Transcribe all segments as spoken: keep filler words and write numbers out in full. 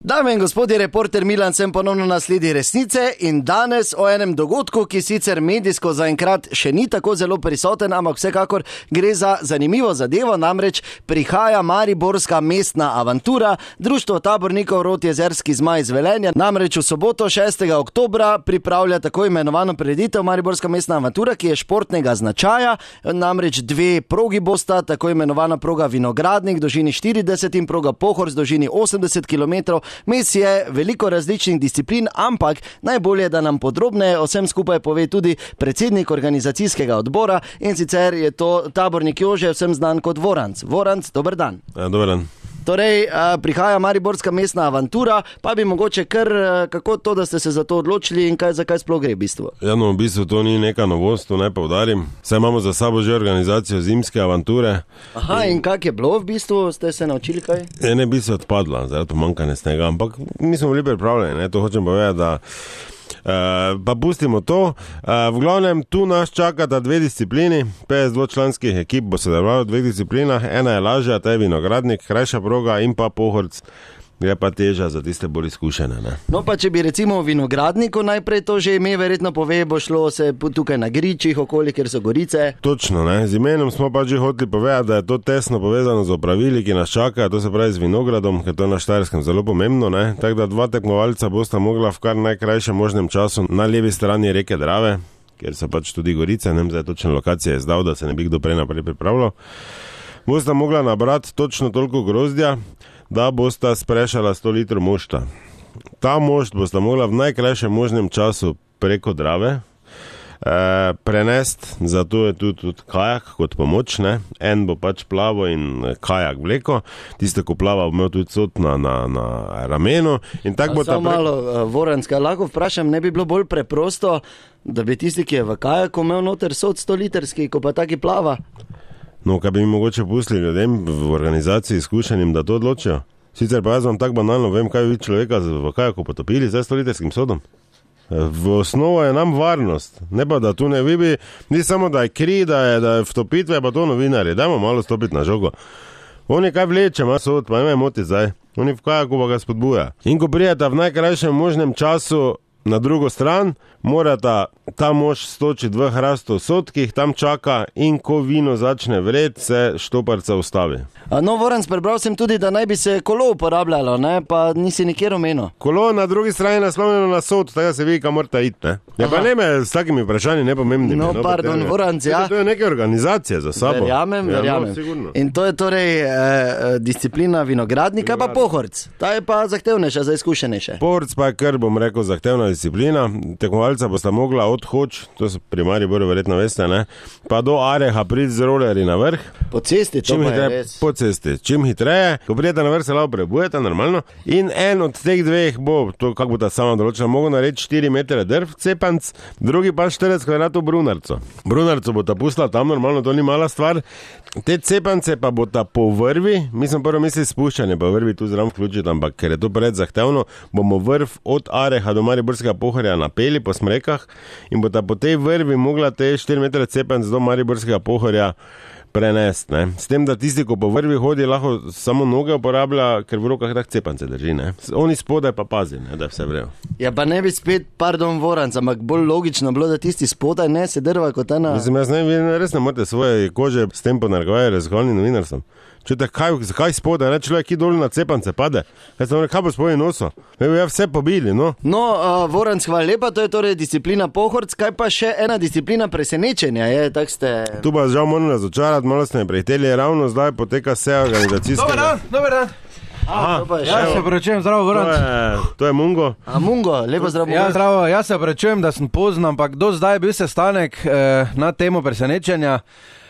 Dame in gospodje, reporter Milan sem ponovno na sledi resnice in danes o enem dogodku, ki sicer medijsko zaenkrat še ni tako zelo prisoten, ampak vsekakor gre za zanimivo zadevo, namreč prihaja mariborska mestna avantura, Društvo tabornikov Rotjezerski zmaj iz Velenja, namreč v soboto šestega oktobra pripravlja tako imenovano prireditev mariborska mestna avantura, ki je športnega značaja, namreč dve progi bosta, tako imenovana proga Vinogradnik, dolžini štirideset in proga Pohorc, dolžini osemdeset kilometrov. Mes je veliko različnih disciplin, ampak najbolje, da nam podrobneje o vsem skupaj pove tudi predsednik organizacijskega odbora in sicer je to tabornik Jože, vsem znan kot Voranc. Voranc, dober dan. Ja, dober dan. Torej, prihaja mariborska mestna avantura, pa bi mogoče kar, kako to, da ste se za to odločili in kaj, zakaj sploh gre v bistvu? Ja, no, v bistvu to ni neka novost, to naj poudarim. Saj imamo za sabo že organizacijo zimske avanture. Aha, in, in kak je bilo v bistvu, ste se naučili kaj? Je ne bi se odpadla, zaradi pomanjkanja snega, ampak mi smo bili pripravljeni, ne? To hočem povedati, da Uh, pa pustimo to. Uh, v glavnem, tu nas čakata dve disciplini, petdeset dvočlanskih ekip bo sodelovalo v dveh disciplinah, ena je lažja, ta je Vinogradnik, krajša proga in pa Pohorc, gre pa teža za tiste bolj izkušene. Ne? No pa če bi recimo v Vinogradniku najprej to že ime verjetno pove, bo šlo se tukaj na gričih okoli, ker so gorice. Točno, ne. Z imenom smo pa že hoteli povedati, da je to tesno povezano z opravili, ki nas čakajo, to se pravi z vinogradom, ker to je na Štajerskem zelo pomembno, ne. Tako da dva tekmovalca bosta mogla v kar najkrajšem možnem času na levi strani reke Drave, ker so pač tudi gorice, ne vem, zdaj točno lokacija je zdal, da se ne bi kdo prej naprej pripravljal. Bosta mogla nabrati točno toliko grozdja, da bosta sprešala sto litrov mošta. Ta mošt bosta mogla v najkrajšem možnem času preko Drave e, prenesti, zato je tudi, tudi kajak kot pomoč, ne. En bo pač plavo in kajak vleko, tiste, ko plava, bo imel tudi sod na, na, na ramenu. In tak bo ta preko... malo, Voranska, lahko vprašam, ne bi bilo bolj preprosto, da bi tisti, ki je v kajaku, imel noter sod sto litrski, ko pa taki plava? No, kaj bi mi mogoče pustili ljudem v organizaciji izkušenim, da to odločijo? Sicer pa jaz vam tako banalno vem, kaj bi človeka v kajaku potopili z sto litrskim sodom. V osnovo je nam varnost, ne pa da tu ne vibi, ni samo da je kri, da je, da je vtopitve, pa to novinarje, dajmo malo stopiti na žogo. Oni kaj vleče, ima sod, pa ne me moti zdaj, oni v kajaku pa ga spodbuja. In ko prijeta v najkrajšem možnem času na drugo stran, morata ta mož stočiti v hrasto sodkih, tam čaka in ko vino začne vred, se štoparca ustavi. No, Voranc, prebral sem tudi, da naj bi se kolo uporabljalo, ne? Pa nisi nikjer omenil. Kolo na drugi strani naslonjeno na sod, tako se vidi, kam morata iti, ne? Ja, pa ne me s takimi vprašanji nepomembnimi. No, no pardon, Voranc, ja. To je neke organizacije za sabo. Verjamem, ja, verjamem. No, in to je torej eh, disciplina Vinogradnika, pa Pohorc. Ta je pa zahtevnejša, za izkušenejše. Pohorc pa je kar, bom rekel, zahtevna disciplina. Tekmovalca bosta mogla od Hoč, to so pri Mariboru verjetno veste, ne, pa do Areha priti z rolerji na vrh. Po cesti, to čim pa hitreje, je res. Po cesti, čim hitreje, ko prijete na vrh, se lahko prebujete, normalno. In en od teh dveh bo, to kako bo ta sama določena, mogo narediti štiri metre drv, cepanc, drugi pa štirideset kvadratov brunarco. Brunarco bo ta pustila tam, normalno, to ni mala stvar. Te cepance pa bo ta po vrvi, mi smo prvo mislili spuščanje, pa vrvi tu zraven vključiti, ampak ker je to pred zahtevno, bomo vrv od Areha do Mariborskega Pohorja napeli po smrekah in bo ta po tej vrvi mogla te štiri metre cepanc do Mariborskega Pohorja prenesti, ne. S tem, da tisti, ko po vrvi hodi, lahko samo noge uporablja, ker v rokah tak cepance drži, ne. Oni spodaj pa pazi, ne, da je vse vrejo. Ja, pa ne bi spet, pardon, Voranc, ampak bolj logično bilo, da tisti spodaj ne se drva kot ena... Mislim, jaz ne, vi res ne morate svoje kože s tem ponargovajo razgovorni novinarstvom. Čujte, kaj, zakaj spodaj, ne, človek, ki dol na cepance pade? Jaz sem rekel, kaj bo spodaj noso? Me bi ja vse pobili, no. No, uh, Voranc, hvala lepa, to je torej disciplina Pohorc, kaj pa še ena disciplina presenečenja, je, tak ste... Tu pa žal moram razočarati, malo ste me prehiteli, ravno zdaj poteka seja organizacijskega... Dobar dan, dobar dan. Aha, ja, se opravičujem, zdravo, Voranc. To je, to je Mungo. A Mungo, lepo zdravo. Ja, zdravo, jaz se opravičujem, da sem pozno, ampak do zdaj je bil sestanek eh, na temo presenečenja.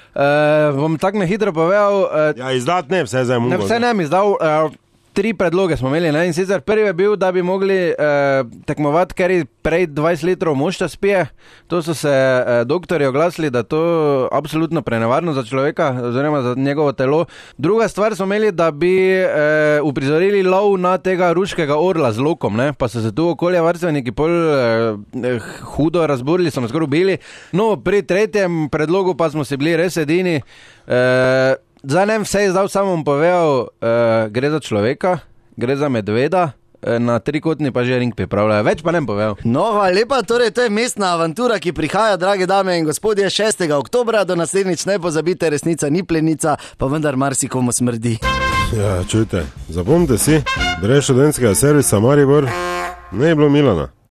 Uh, bom tako na hitro povedal. Uh, ja, izdat ne, vse zdaj Mungo. Ne, vse ne mi izdal. Uh, tri predloge smo imeli, ne? In sicer prvi je bil, da bi mogli uh, tekmovati, ker prej dvajset litrov mošta spije. To so se uh, doktorji oglasili, da to absolutno prenevarno za človeka, oziroma za njegovo telo. Druga stvar smo imeli, da bi uh, uprizorili lov na tega ruškega orla z lokom, ne? Pa so se tu okoljevarstveniki pol uh, hudo razburili, so me skoraj ubili. No, pri tretjem predlogu pa smo si bili res edini. Uh, Zdaj ne vse je zdaj samo povedal, uh, gre za človeka, gre za medveda, na trikotni pa že ring pripravljajo. Več pa ne povedal. No, hvala lepa, torej to je mestna avantura, ki prihaja, drage dame in gospodje, šestega oktobra, do naslednjič ne pozabite, resnica ni plenica, pa vendar marsikomu smrdi. Ja, čujte, zapomnite si, brez študentskega servisa Maribor ne je bilo Milana.